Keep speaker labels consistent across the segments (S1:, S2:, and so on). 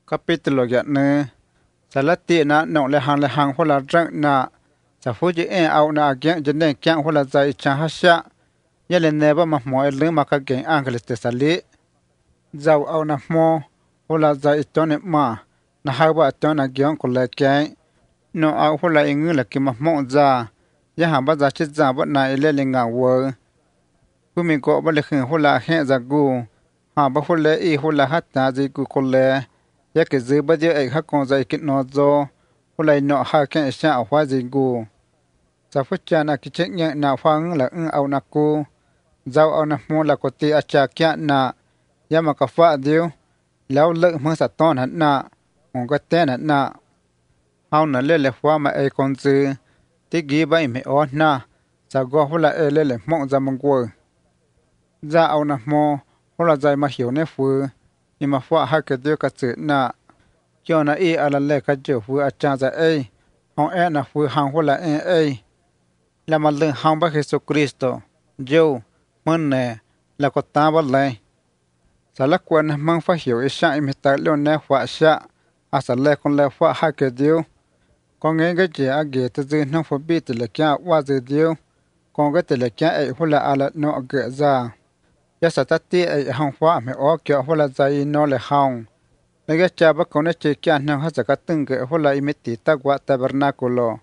S1: Capítulo ya ne salati na no le hang hola drang na sa fuji au na gen jene kyang hola zai cha hasha yele neba ma mo le ma ka gen angeles te sali zau au na mo hola zai tone ma na ha ba tona gyon ko le kai no au hola ingu la ki ma mo za ya ha ba za chi za ba na ile le nga wo ku mi ko ba le khin hola he za gu ha ba hola i hola hatta zi ku ko le ya ke zư ba je ai ha kon zai kit no zo hulai no ha ke sha a hwa zi gu sa fu cha na ki che nya na phang la au na ku zau au na mo la ko ti a cha kya na ya ma ka fa diu lao le mo sa ton han na on ko te na hau na le phwa ma ai kon zư ti gi bai me o na sa go hula e le mo za mong ko za au na mo hula zai ma hiu ne fu ni ma phwa ha ke dio ka tsu na cho na i ala le ka jo fu a cha za ei hong e na fu hang hu la ei la ma le hang ba Jesu Cristo jo mon ne la ko ta ba le sa la kwa na mang fa hiu i sha i mi ta lo ne phwa sha a sa le kon le phwa ha ke dio ko nge ge je a ge te zi no fu bi te le kya wa zi dio ko ge te le kya ei hu la ala no ge za ya sa ta ti ai hang phwa me o kyo hu la za i no le hang Nage chaba kone che kya nang ha zaka tunga hola imiti tagwa tabernakulo.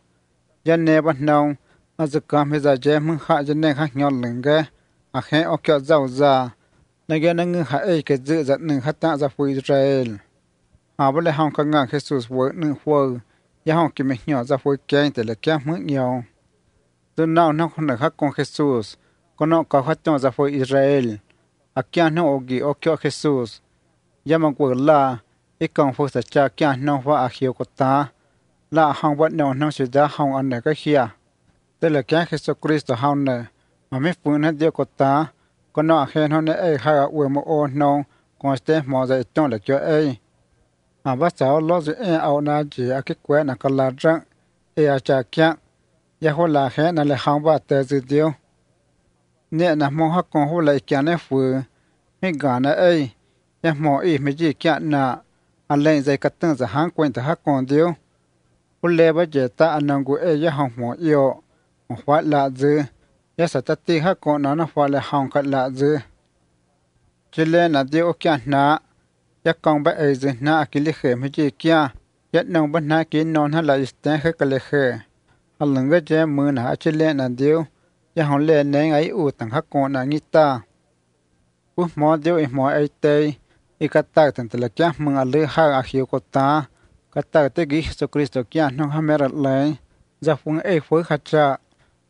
S1: Yan neba nang azaka meza je mung ha jane ha nyol linga. Akhe o kya zao za. Nage nang ha ei ke zi zat nang ha ta za fu Israel. Ha bale hong ka nga Jesus wo nang fu. Ya hong ki me nyo za fu kya inte le kya mung nyo. Tu nao nang hona ha kong Jesus. Kono ka ha tong za fu Israel. Akya nang ogi o kya Jesus. Ya mang wo la. Ikong fu sa cha kya nong wa a hiu ko ta la hong wat no nong si da hong an ne ka hia te le kya Jesus Christ hong ne ma me fu na dio ko ta ko no a he no ne e ha we mo o no ko ste mo za ton le kyo e ma ba sa lo ze e au na ji a ki kwe na ka la drang e a cha kya ya ho la he na le hong ba te zi dio ne na mo ha ko ho la kya ne fu mi ga na e ya mo i me ji kya na Allen zai katang za hang kwen ta ha kon dio ule ba je ta anangu e ya hong mo yo hwa la zu ya sa ta ti ha kon na hwa le hong ka la zu chile na dio kya na ya kong ba e zu na akili khe me ji kya ya nong ba na ki non ha la isten khe ka le khe alung ga je mu na chile na dio ya hong le ne ngai u tang ha kon na ngi ta u mo dio e mo ai te ikata tan tele kya mung a le ha a hiu ko ta kata te gi Jesu Cristo kya no ha mer le za fung e fu kha cha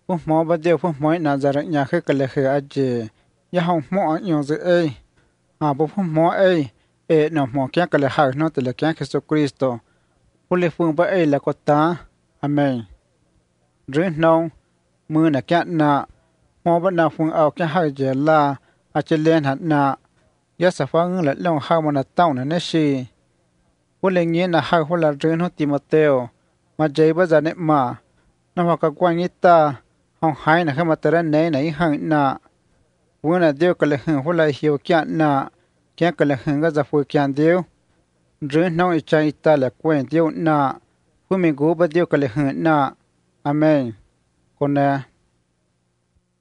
S1: fu mo ba de fu mo na za ra nya khe ka le khe a je ya hong mo a yo ze e a bo fu mo e no mo kya ka le ha no tele kya Jesu Cristo fu le fu ba e la ko ta amen dre no mu na kya na mo ba na fung au kya ha je la a che len ha na ya sa fa ng la long ha mo na taw na ne shi wu le ngi na ha hu la dren ho Timoteo ma jai ba za ne ma na ma ka kwa ngi ta hong hai na kha ma tara nei nei hang na wu na dio ka le hng hu la hiu kya na kya ka le hng ga za fu kya dio dren no i chai ta la kwen dio na fu mi gu ba dio ka le hng na amen ko na